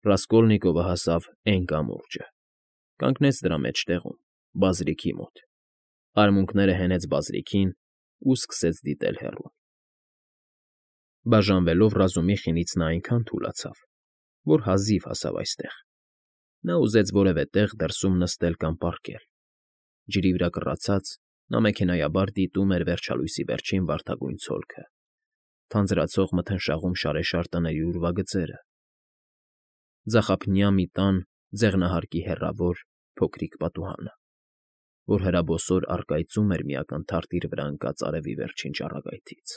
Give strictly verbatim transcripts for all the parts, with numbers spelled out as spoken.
Ռասկոլնիկովը հասավ էն կամուրջը, կանգնեց դրա մեջտեղում, բազրիքի մոտ, արմունկները հենեց բազրիքին ու սկսեց դիտել հեռուն։ Բաժանվելով ռազումի խինից նա այնքան թուլացավ, որ հազիվ հասավ այստեղ. նա ուզեց որևէ տեղ դրսում նստել կամ պառկել, ջրի վրա կռացած՝ նա մեքենայաբար դիտում էր վերջալույսի վերջին վարդագույն ցոլքը, թանձրացող մթնշաղում շարեշար տների ուրվագծերը, ձախափնյա մի տան ձեղնահարկի հեռավոր, փոքրիկ պատուհանը, որ հրաբոսոր առկայծում էր մի ակնթարթ իր վրա ընկած արևի վերջին ճառագայթից,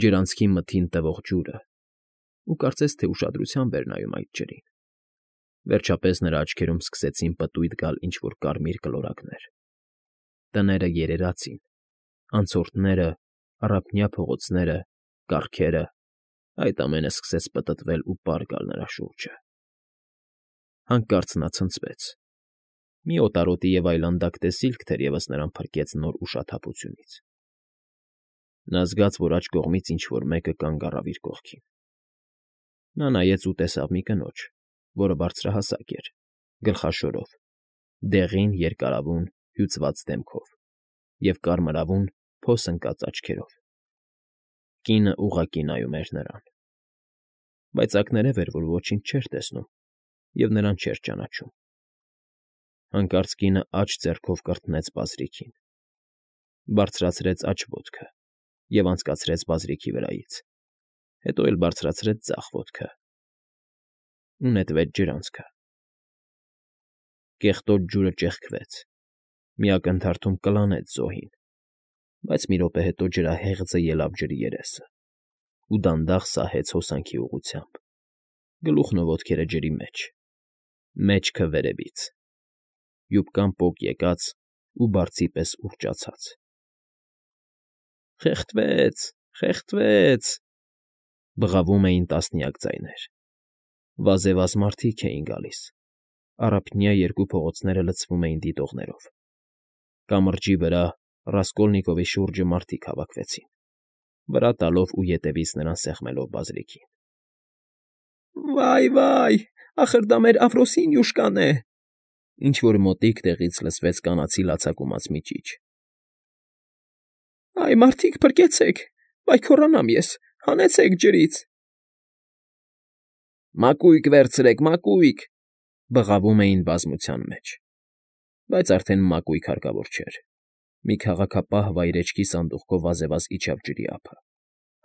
ջրանցքի մթին տվող ջուրը, ու կարծես թե ուշադրությամբ էր նայում այդ ջրին։ Վերջապես նրա աչքերում սկսեցին պտույտ գալ ինչ֊որ կարմիր կլորակներ։ Տները երերաց էին, անցորդները, առափնյա փողոցները, կառքերը, այդ ամենը սկսեց պտտվել ու պար գալ նրա շուրջը։ Հանկարծ նա ցնցվեց։ Մի օտարոտի և այլանդակ տեսիլք թերևս նրան փրկեց նոր ուշաթափությունից։ Նա զգաց, որ աջ կողմից ինչ֊որ մեկը կանգ առավ իր կողքին։ Նա նայեց ու տեսավ մի կնոջ, որը բարձրահասակ էր, գլխաշորով, դեղին, երկարավուն, հյուծված դեմքով և կարմրավուն, փոս ընկած աչքերով։ Կինը ուղղակի նայում էր նրան, բայց ակներև էր, որ ոչինչ չէր տեսնում և նրան չէր ճանաչում։ Հանկարծ կինը աջ ձեռքով կրտնեց բազրիքին, բարձրացրեց աջ ոտքը և անցկացրեց բազրիքի վրայից, հետո էլ բարձրացրեց ձախ ոտքը ու նետվեց ջրանցքը։ Կեղտոտ ջուրը ճեղքվեց, մի ակնթարթում կլանեց զոհին, բայց մի րոպե հետո ջրահեղձը ելավ ջրի երեսը ու դանդաղ սահեց հոսանքի ուղղությամբ, գլուխն ու ոտքերը ջրի մեջ, մեջքը վերևից, յուբկան պոկ եկած ու բարձի պես ուռճացած։ «Խեղդվեց, խեղդվեց», բղավում էին տասնյակ ձայներ։ Վազեվազ մարդիկ էին գալիս, առափնյա երկու փողոցները լցվում էին դիտողներով։ Կամրջի վրա, Ռասկոլնիկովի շուրջը մարդիկ հավաքվեցին, վրա տալով ու ետևից նրան սեղմելով բազրիքին։ «Վա՜յ, վա՜յ, ախր դա մեր Աֆրոսինյուշկան է», ինչ֊որ մոտիկ տեղից լսվեց կանացի լացակումած մի ճիչ։ «Այ մարդիկ, փրկեցեք, վայ քոռանամ ես, հանեցեք ջրից»։ «Մակույկ վերցրեք, մակույկ», բղավում էին բազմության մեջ, բայց արդեն մակույկ հարկավոր չէր։ Մի քաղաքապահ վայրէջքի սանդուղքով վազեվազ իջավ ջրի ափը,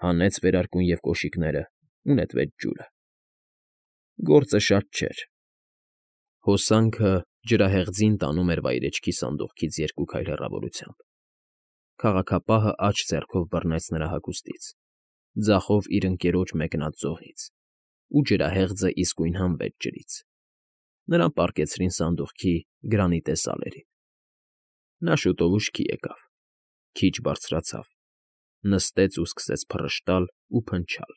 հանեց վերարկուն և կոշիկները ու նետվեց ջուրը։ Գործը շատ չէր։ Հոսանքը ջրահեղձին տանում էր վայրէջքի սանդուղքից երկու քայլ հեռավորությամբ։ Քաղաքապահը աջ ձեռքով բռնեց նրա հագուստից, ձախով իր ընկերոջ մեկնած զոհից, ու ջրահեղձը իսկույն հանվեց ջրից։ Նրան պառկեցրին սանդուղքի գրանիտե սալերին։ Նա շուտով ուշքի եկավ, քիչ բարձրացավ, նստեց ու սկսեց փռշտալ ու փնչալ,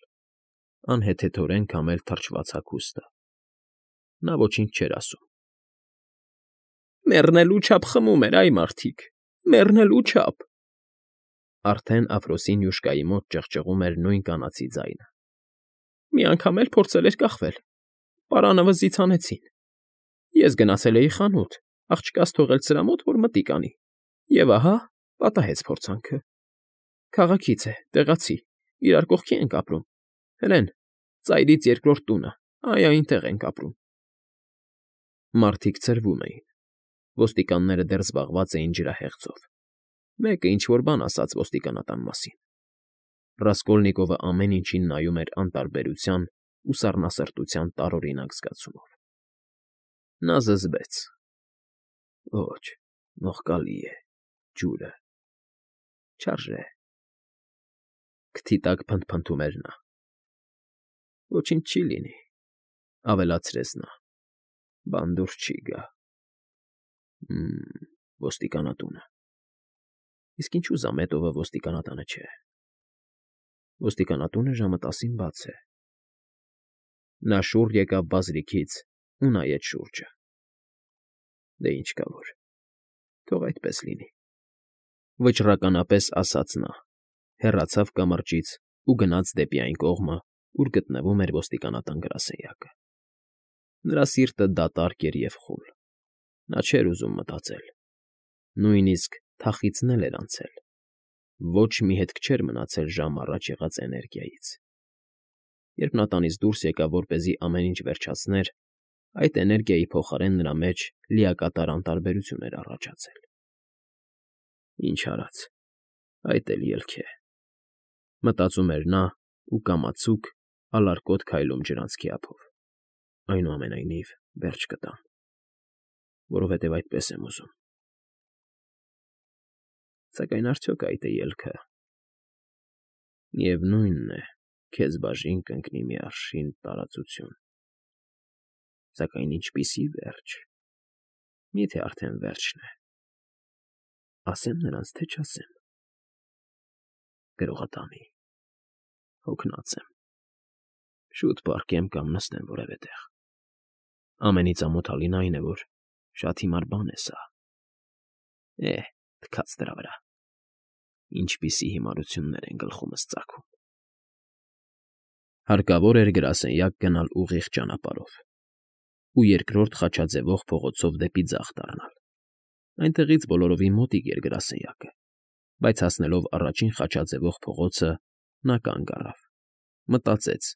անհեթեթորեն քամել թրջված հագուստը։ Նա ոչինչ չէր ասում։ «Մեռնելու չափ խմում էր, այ մարդիկ, մեռնելու չափ»։ Արդեն Աֆրոսինյուշկայի մոտ ճղճղում էր նույն կանացի ձայնը։ «Մի անգամ էլ փորձել էր կախվել, պարանը վզից հանեցին։ Ես գնացել էի խանութ, աղջկաս թողել սրա մոտ, որ մտիկ անի, և ահա, պատահեց փորձանքը։ Քաղաքից է, տեղացի, իրար կողքի ենք ապրում, հլեն, ծայրից երկրորդ տունը, այ այնտեղ ենք ապրում»։ Մարդիկ ցրվում էին։ Ոստիկանները դեռ զբաղված էին ջրահեղձով։ Մեկը ինչ֊որ բան ասաց ոստիկանատան մասին։ Ռասկոլնիկովը ամեն ինչին նայում էր անտարբերության ու սառնասրտության տարօրինակ զգացումով։ Նա զզվեց. «Ոչ, նողկալի է, ջուրը, չարժե»։ Քթի տակ փնթփնթում էր նա։ «Ոչինչ չի լինի», ավելացրեց նա, «բան դուրս չի գա։ Հը՜մ, ոստիկանատունը։ Իսկ ինչու զամետովը ոստիկանատանը չէ։ Ոստիկանատունը ժամը տասին բաց է»։ Նա շուռ եկավ բազրիքից ու նայեց շուրջը։ «Դե ինչ կա որ, թող այդպես լինի», վճռականապես ասաց նա, հեռացավ կամրջից ու գնաց դեպի այն կողմը, ուր գտնվում էր ոստիկանատան գրասենյակը։ Նրա սիրտը դատարկ էր և խուլ։ Նա չէր ուզում մտածել։ Նույնիսկ թախիծն էր անցել։ Ոչ մի հետք չէր մնացել ժամ առաջ եղած էներգիայից։ Երբ նա տանից դուրս եկավ, որպեսզի ամեն ինչ վերջացներ, այդ էներգիայի փոխարեն նրա մեջ լիակատար անտարբերություն էր առաջացել։ Ինչ արած, այդ էլ ելք է, մտածում էր նա ու կամացուկ, ալարկոտ քայլում ջրանցքի ափով։ Այնուամենայնիվ, վերջ կտամ, որովհետև այդպես եմ ուզում։ Սակայն արդյոք այդ է ելքը։ Միևնույնն է, քեզ բաժին կընկնի մի արշին տարածություն։ Սակայն ինչպիսի վերջ։ Մի՞թե արդեն վերջն է։ Ասեմ նրանց, թե չասեմ։ Գրողատամի, հոգնած եմ։ Շուտ պառկեմ կամ նստեմ որևէ տեղ։ Ամենից ամոթալին այն է, որ շատ հիմար բան է սա։ Է, թքած դրա վրա։ Ինչպիսի հիմարություններ են գլխումս ծագում։ Հարկավոր էր գրասենյակ գնալ ուղիղ ճանապարհով ու երկրորդ խաչաձևող փողոցով դեպի ձախ դառնալ։ Այնտեղից բոլորովին մոտիկ էր գրասենյակը, բայց հասնելով առաջին խաչաձևող փողոցը, նա կանգ առավ, մտածեց,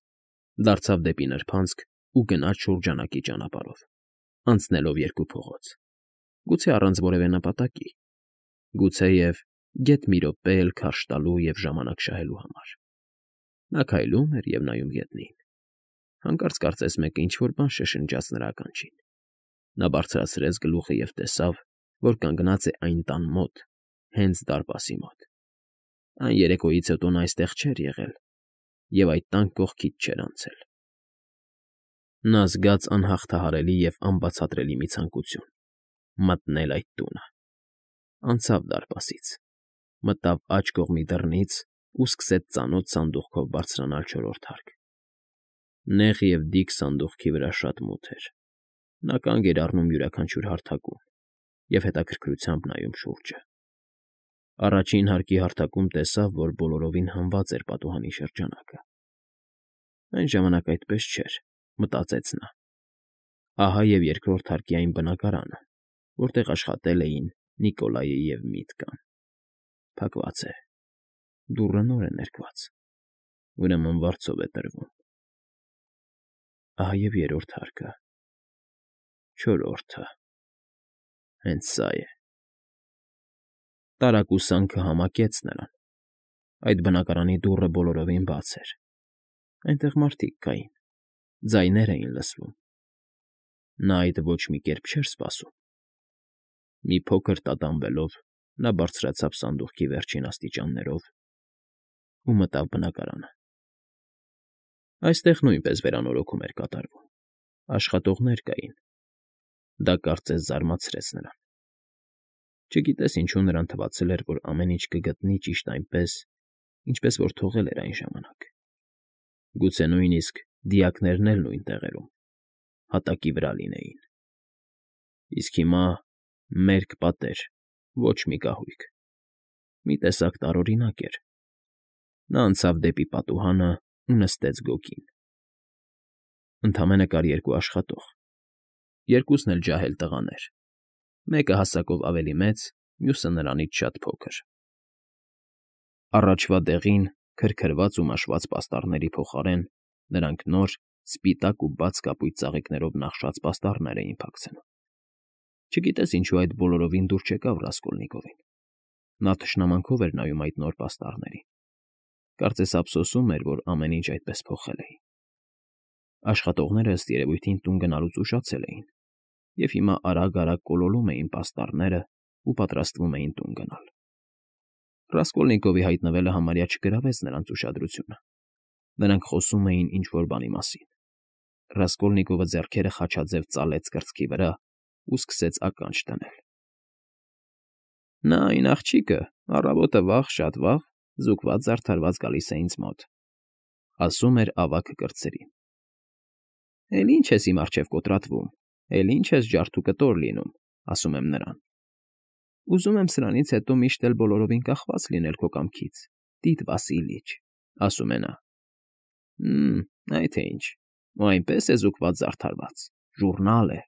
դարձավ դեպի նրբանցք ու գնաց շուրջանակի ճանապարհով, անցնելով երկու փողոց։ Գուցե առանց որևէ նպատակի, գուցեև գեթ մի րոպե էլ քարշ տալու և ժամանակ շահելու համար։ Նա քայլում էր և նայում գետնին։ Հանկարծ կարծես մեկը ինչ֊որ բան շշնջաց նրա ականջին։ Նա բարձրացրեց գլուխը և տեսավ, որ կանգնած է այն տան մոտ, հենց դարպասի մոտ։ Այն երեկոյից հետո նա այստեղ չէր եղել և այդ տան կողքից չէր անցել։ Նա զգաց անհաղթահարելի և անբացատրելի մի ցանկություն՝ մտնել այդ տունը։ Անցավ դարպասից, մտավ աջ կողմի դռնից ու սկսեց ծանոթ սանդուղքով բարձրանալ չորրորդ հարկ։ Նեղ և դիք սանդուղքի վրա շատ մութ էր։ Նա կանգ էր առնում յուրաքանչյուր հարթակում և հետաքրքրությամբ նայում շուրջը։ Առաջին հարկի հարթակում տեսավ, որ բոլորովին հանված էր պատուհանի շրջանակը։ Այն ժամանակ այդպես չէր, մտածեց նա։ Ահա և երկրորդ հարկի այն բնակարանը, որտեղ աշխատել էին Նիկոլայը և Միտկան։ Փակված է։ Դուռը նոր է ներկված։ Ուրեմն վարձով է տրվում։ Ահա և երրորդ հարկը։ Չորրորդը։ Հենց սա է։ Տարակուսանքը համակեց նրան։ Այդ բնակարանի դուռը բոլորովին բաց էր։ Այնտեղ մարդիկ կային, ձայներ էին լսվում։ Նա այդ ոչ մի կերպ չէր սպասում։ Մի փոքր տատանվելով՝ նա բարձրացավ սանդուղքի վերջին աստիճաններով ու մտավ բնակարանը։ Այստեղ նույնպես վերանորոգում էր կատարվում։ Աշխատողներ կային։ Դա կարծես զարմացրեց նրան։ Չգիտես ինչու նրան թվացել էր, որ ամեն ինչ կգտնի ճիշտ այնպես, ինչպես որ թողել էր այն ժամանակ։ Գուցե նույնիսկ դիակներն էլ նույն տեղերում, հատակի վրա լինեին։ Իսկ հիմա մերկ պատեր, ոչ մի կահույք։ Մի տեսակ տարօրինակ էր։ Նա անցավ դեպի պատուհանը ու նստեց գոգին։ Ընդամենը կար երկու աշխատող, երկուսն էլ ջահել տղաներ, մեկը հասակով ավելի մեծ, մյուսը նրանից շատ փոքր։ Առաջվա դեղին, քրքրված ու մաշված պաստառների փոխարեն նրանք նոր, սպիտակ ու բաց կապույտ ծաղիկներով նախշած պաստառներ էին փակցնում։ Չգիտես ինչու այդ բոլորովին դուր չեկավ Ռասկոլնիկովին։ Նա թշնամանքով էր նայում այդ նոր պաստառներին։ Կարծես ափսոսում էր, որ ամեն ինչ այդպես փոխել էին։ Աշխատողները, ըստ երևույթին, տուն գնալուց ուշացել էին և հիմա արագ֊արագ կոլոլում էին պաստառներն ու պատրաստվում էին տուն գնալ։ Ռասկոլնիկովի հայտնվելը համարյա չգրավեց նրանց ուշադրությունը։ Նրանք խոսում էին ինչ֊որ բանի մասին։ Ռասկոլնիկովը ձեռքերը խաչաձև ծալեց կրծքի վրա ու սկսեց ականջ դնել։ Նա այն աղջիկը, առավոտը վաղ, շատ վաղ, զուգված֊զարդարված գալիս է ինձ մոտ, ասում էր ավագը կրտսերին։ Էլ ի՞նչ ես իմ առջև կոտրատվում, էլ ի՞նչ ես ջարդ ու կտոր լինում, ասում եմ նրան։ Ուզում եմ սրանից հետո միշտ էլ բոլորովին կախված լինել քո կամքից, Տիտ Վասիլիչ, ասում է նա։ Հը՛մ, այդ թե ինչ, ու այնպես է զուգված֊զարդարված, Ժուռնալ է,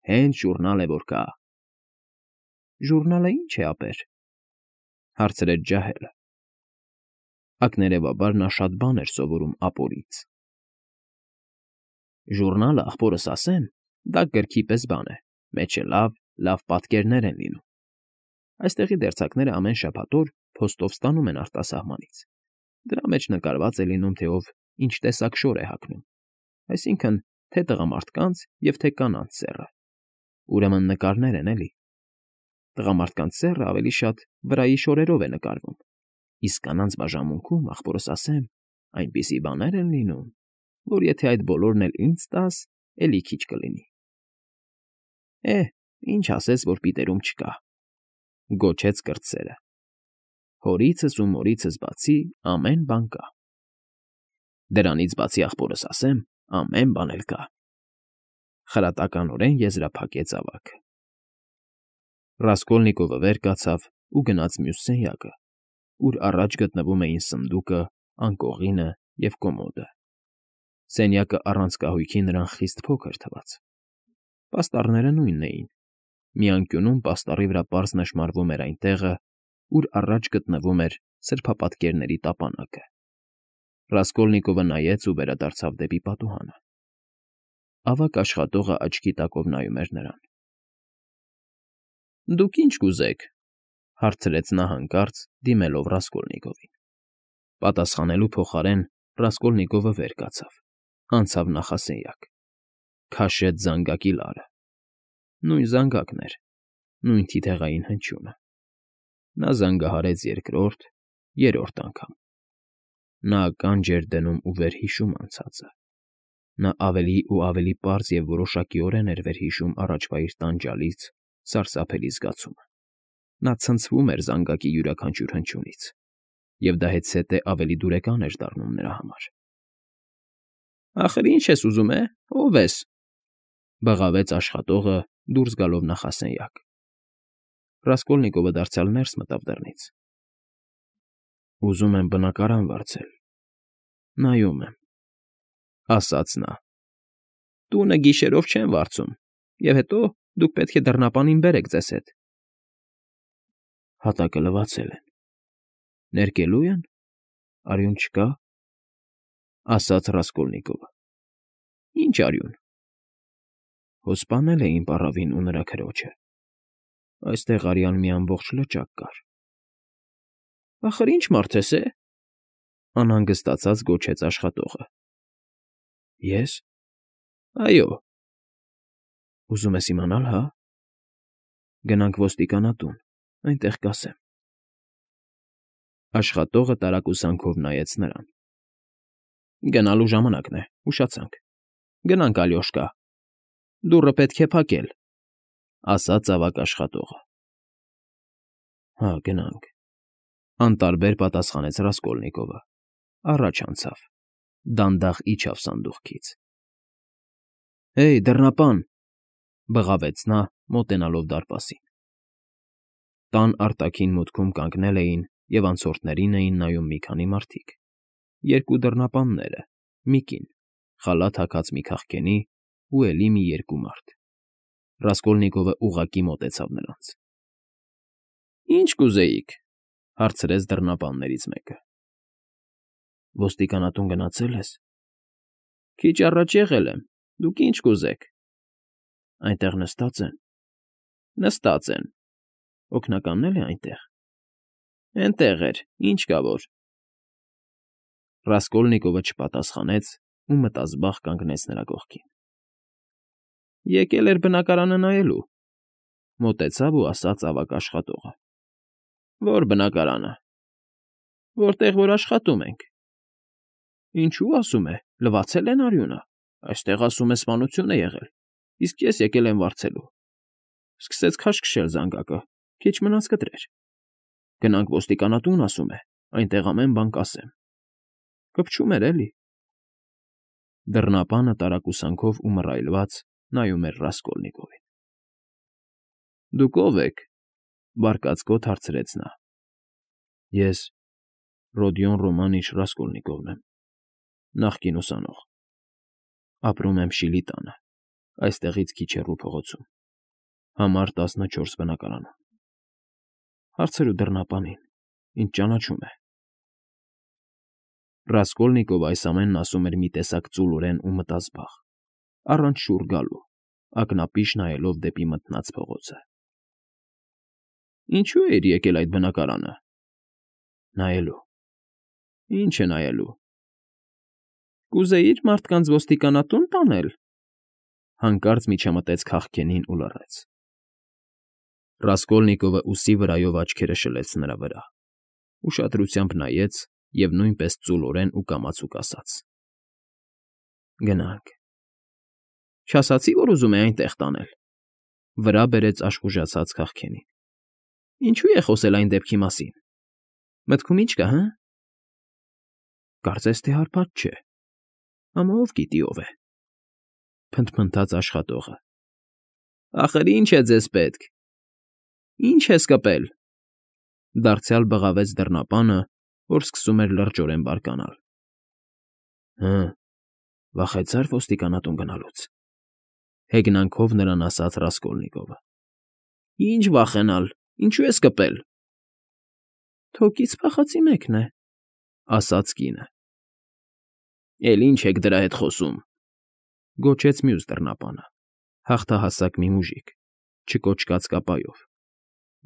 հենց ժուռնալ է, որ կա։ ֊ Ժուռնալը ի՞նչ է, ապեր,֊ հարցրեց ջահելը. ակներևաբար նա շատ բան էր սովորում ապորից։ ֊ Ժուռնալը, ախպորս ասեմ, դա գրքի պես բան է, մեջը լավ, լավ պատկերներ են լինում. այստեղի դերձակները ամեն շաբաթ օր փոստով ստանում են արտասահմանից, դրա մեջ նկարված է լինում, թե ով ինչ տեսակ շոր է հագնում, այսինքն՝ թե տղամարդկանց և թե կանանց սեռը, ուրեմն նկարներ են, էլի։ Տղամարդկանց սեռը ավելի շատ վրայի շորերով է նկարվում, իսկ կանանց բաժանմունքում, ախպորս ասեմ, այնպիսի բաներ են լինում, որ եթե այդ բոլորն էլ ինձ տաս, էլի քիչ կլինի։ ֊ Է, ինչ ասես, որ պիտերում չկա,֊ գոչեց կրտսերը,֊ հորիցս ու մորիցս բացի ամեն բան կա։ ֊ Դրանից բացի, ախպորս ասեմ, ամեն բան էլ կա,֊ խրատականորեն եզրափակեց ավագը։ Ռասկոլնիկովը վեր կացավ ու գնաց մյուս սենյակը, ուր առաջ գտնվում էին սնդուկը, անկողինը և կոմոդը։ Սենյակը առանց կահույքի նրան խիստ փոքր թվաց։ Պաստառները նույնն էին, մի անկյունում պաստառի վրա պարզ նշմարվում էր այն տեղը, ուր առաջ գտնվում էր սրբապատկերների տապանակը։ Ռասկոլնիկովը նայեց ու վերադարձավ դեպի պատուհանը։ Ավագ աշխատողը աչքի տակով նայում էր նրան։ ֊ Դուք ինչ կուզեք,֊ հարցրեց նա հանկարծ, դիմելով Ռասկոլնիկովին։ Պատասխանելու փոխարեն Ռասկոլնիկովը վեր կացավ, անցավ նախասենյակ, քաշեց զանգակի լարը։ Նույն զանգակն էր, նույն թիթեղային հնչյունը։ Նա զանգահարեց երկրորդ, երրորդ անգամ։ Նա ականջ էր դնում ու վերհիշում անցածը։ Նա ավելի ու ավելի պարզ և որոշակիորեն էր վերհիշում առաջվա իր տանջալից, սարսափելի զգացումը։ Նա ցնցվում էր զանգակի յուրաքանչյուր հնչյունից, և դա հետզհետե ավելի դուրեկան էր դառնում նրա համար։ ֊ Ախր ի՞նչ ես ուզում, է, ո՞վ ես,֊ բղավեց աշխատողը, դուրս գալով նախասենյակ։ Ռասկոլնիկովը դարձյալ ներս մտավ դռնից։ ֊ Ուզում եմ բնակարան վարձել, նայում եմ,֊ ասաց նա։ ֊ Տունը գիշերով չեն վարձում, և հետո դուք պետք է դռնապանին բերեք ձեզ հետ։ ֊ Հատակը լվացել են, ներկելու ե՞ն, արյուն չկա,֊ ասաց Ռասկոլնիկովը։ ֊ Ի՞նչ արյուն։ ֊ Հո սպանել էին պառավին ու նրա քրոջը, այստեղ արյալ մի ամբողջ լճակ կար։ ֊ Ախր ի՞նչ մարդ ես, է,֊ անհանգստացած գոչեց աշխատողը։ ֊ Ե՞ս։ ֊ Այո։ ֊ Ուզում ես իմանալ, հա։ Գնանք ոստիկանատուն, այնտեղ կասեմ։ Աշխատողը տարակուսանքով նայեց նրան։ ֊ Գնալու ժամանակն է, ուշացանք։ Գնանք, Ալյոշկա, դուռը պետք է փակել,֊ ասաց ավագ աշխատողը։ ֊ Հա, գնանք,֊ անտարբեր պատասխանեց Ռասկոլնիկովը, առաջ անցավ, դանդաղ իջավ սանդուղքից։ ֊ Հեյ, դռնապան,֊ բղավեց նա, մոտենալով դարպասին։ Տան արտաքին մուտքում կանգնել էին և անցորդներին էին նայում մի քանի մարդիկ, երկու դռնապանները, մի կին, խալաթ հագած մի քաղկենի ու էլի մի երկու մարդ։ Ռասկոլնիկովը ուղղակի մոտեցավ նրանց։ ֊ Ի՞նչ կուզեիք,֊ հարցրեց դռնապաններից մեկը։ ֊ Ոստիկանատուն գնացե՞լ ես։ ֊ Քիչ առաջ եղել եմ, դուք ինչ կուզեք։ ֊ Այնտեղ նստած են։ ֊ Նստած են։ ֊ Օգնականն է՞լ է այնտեղ։ ֊ Էնտեղ էր, ինչ կա որ։ Ռասկոլնիկովը չպատասխանեց ու մտազբաղ կանգնեց նրա կողքին։ ֊ Եկել էր բնակարանը նայելու,֊ մոտեցավ ու ասաց ավագ աշխատողը։ ֊ Ո՞ր բնակարանը։ ֊ Որտեղ որ աշխատում ենք։ ֊ Ինչո՞ւ, ասում է, լվացել են արյունը, այստեղ, ասում է, սպանություն է եղել, իսկ ես եկել եմ վարձելու։ Սկսեց քաշքշել զանգակը, քիչ մնաց կտրեր։ Գնանք ոստիկանատուն, ասում է, այնտեղ ամեն բան կասեմ։ Կպչում էր, էլի։ Դռնապանը տարակուսանքով ու մռայլված նայում էր Ռասկոլնիկովին։ ֊ Դուք ո՞վ եք,֊ բարկացկոտ հարցրեց նա։ ֊ Ես Ռոդիոն Ռոմանիչ Ռասկոլնիկովն եմ, նախկին ուսանող։ Ապրում եմ Շիլի տանը, Այստեղից քիչ հեռու փողոցում, համար տասնչորս բնակարանում։ Հարցրու դռնապանին, ինձ ճանաչում է։ Ռասկոլնիկովը այս ամենն ասում էր մի տեսակ ծուլորեն ու մտազբաղ, առանց շուռ գալու, ակնապիշ նայելով դեպի մթնած փողոցը։ Ինչո՞ւ էիր եկել այդ բնակարանը։ Նայելու։ Ինչ է նայելու։ Կուզեի՞ր մարդկանց ոստիկանատուն տանել։ Հանկարծ միջամտեց քաղքենին ու լռեց։ Ռասկոլնիկովը ուսի վրայով աչքերը շլեց նրա վրա, ուշադրությամբ նայեց և նույնպես ծուլորեն ու կամացուկ ասաց. Գնանք։ Չասացի, որ ուզում է այնտեղ տանել։ Վրա բերեց աշխուժացած քաղքենին։ Ինչո՞ւ է խոսել այն դեպքի մասին։ Մտքում ինչ կա, հը։ Կարծես թե հարբած չէ։ Ամա ով գիտի ով է։ Փնթփնթաց աշխատողը։ Ախր ինչ է ձեզ պետք։ Ինչ ես կպել։ Դարձյալ բղավեց դռնապանը, որ սկսում էր լրջորեն բարկանալ։ Հը, վախեցա՞ր ոստիկանատուն գնալուց։ Հեգնանքով նրան ասաց Ռասկոլնիկովը։ Ինչ վախենալ, ինչու ես կպել։ Թոկից փախածի մեկն է, ասաց կինը։ Էլ ինչ եք դրա հետ խոսում։ Գոչեց մյուս դռնապանը, հաղթահասակ մի մուժիկ, չկոճկած կապայով,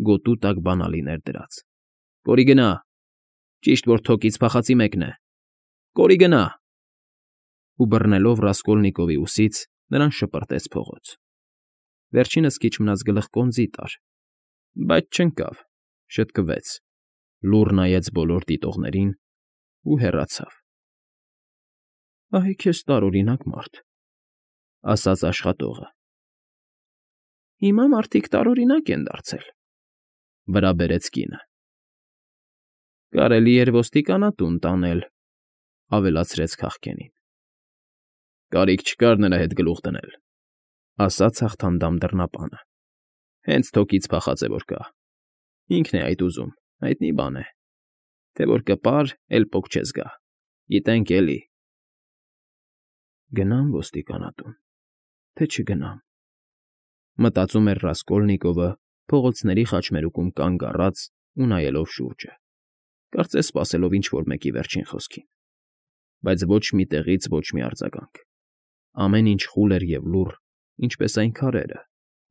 գոտու տակ բանալիներ դրած։ Կորի գնա։ Ճիշտ որ թոկից փախածի մեկն է։ Կորի գնա։ Ու բռնելով Ռասկոլնիկովի ուսից նրան շպրտեց փողոց։ Վերջինս քիչ մնաց գլխկոնձի տար, բայց չընկավ, շտկվեց, լուռ նայեց բոլոր դիտողներին ու հեռացավ։ Ահի քեզ տարօրինակ մարդ, ասաց աշխատողը։ Հիմա մարդիկ տարօրինակ են դարձել, վրա բերեց կինը։ Կարելի էր ոստիկանատուն տանել, ավելացրեց քաղքենին։ Կարիք չկար նրա հետ գլուխ դնել, ասաց հաղթանդամ դռնապանը։ Հենց թոկից փախած է որ կա։ Ինքն է այդ ուզում, հայտնի բան է։ Թե որ կպար, էլ պոկ չես գա։ Գիտենք էլի։ Գնամ ոստիկանատուն, թե չգնամ։ Մտածում էր Ռասկոլնիկովը, փողոցների խաչմերուկում կանգ առած ու նայելով շուրջը, կարծես սպասելով ինչ֊որ մեկի վերջին խոսքին, բայց ոչ մի տեղից ոչ մի արձագանք։ Ամեն ինչ խուլ էր և լուռ, ինչպես այն քարերը,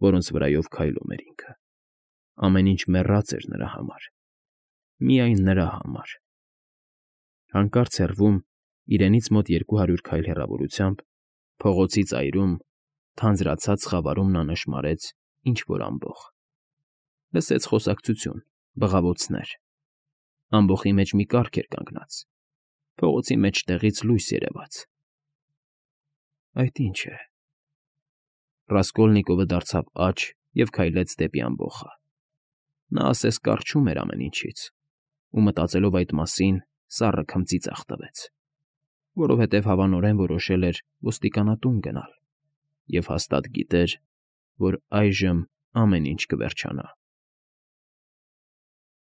որոնց վրայով քայլում էր ինքը։ Ամեն ինչ մեռած էր նրա համար։ Միայն նրա համար։ Հանկարծ հեռվում, իրենից մոտ երկու հարյուր քայլ հեռավորությամբ, փողոցի ծայրում, թանձրացած խավարում նա նշմարեց ինչ֊որ ամբոխ։ Լսեց խոսակցություն, բղավոցներ։ Ամբոխի մեջ մի կառք էր կանգնած։ Փողոցի մեջտեղից լույս երևաց։ Այդ ինչ է։ Ռասկոլնիկովը դարձավ աջ և քայլեց դեպի ամբոխը։ Նա ասես կառչում էր ամեն ինչից, ու մտածելով այդ մասին, սառը քմծի ծախ տվեց, որովհետև հավանորեն որոշել էր ոստիկանատուն գնալ և հաստատ գիտեր, որ այժմ ամեն ինչ կվերջանա։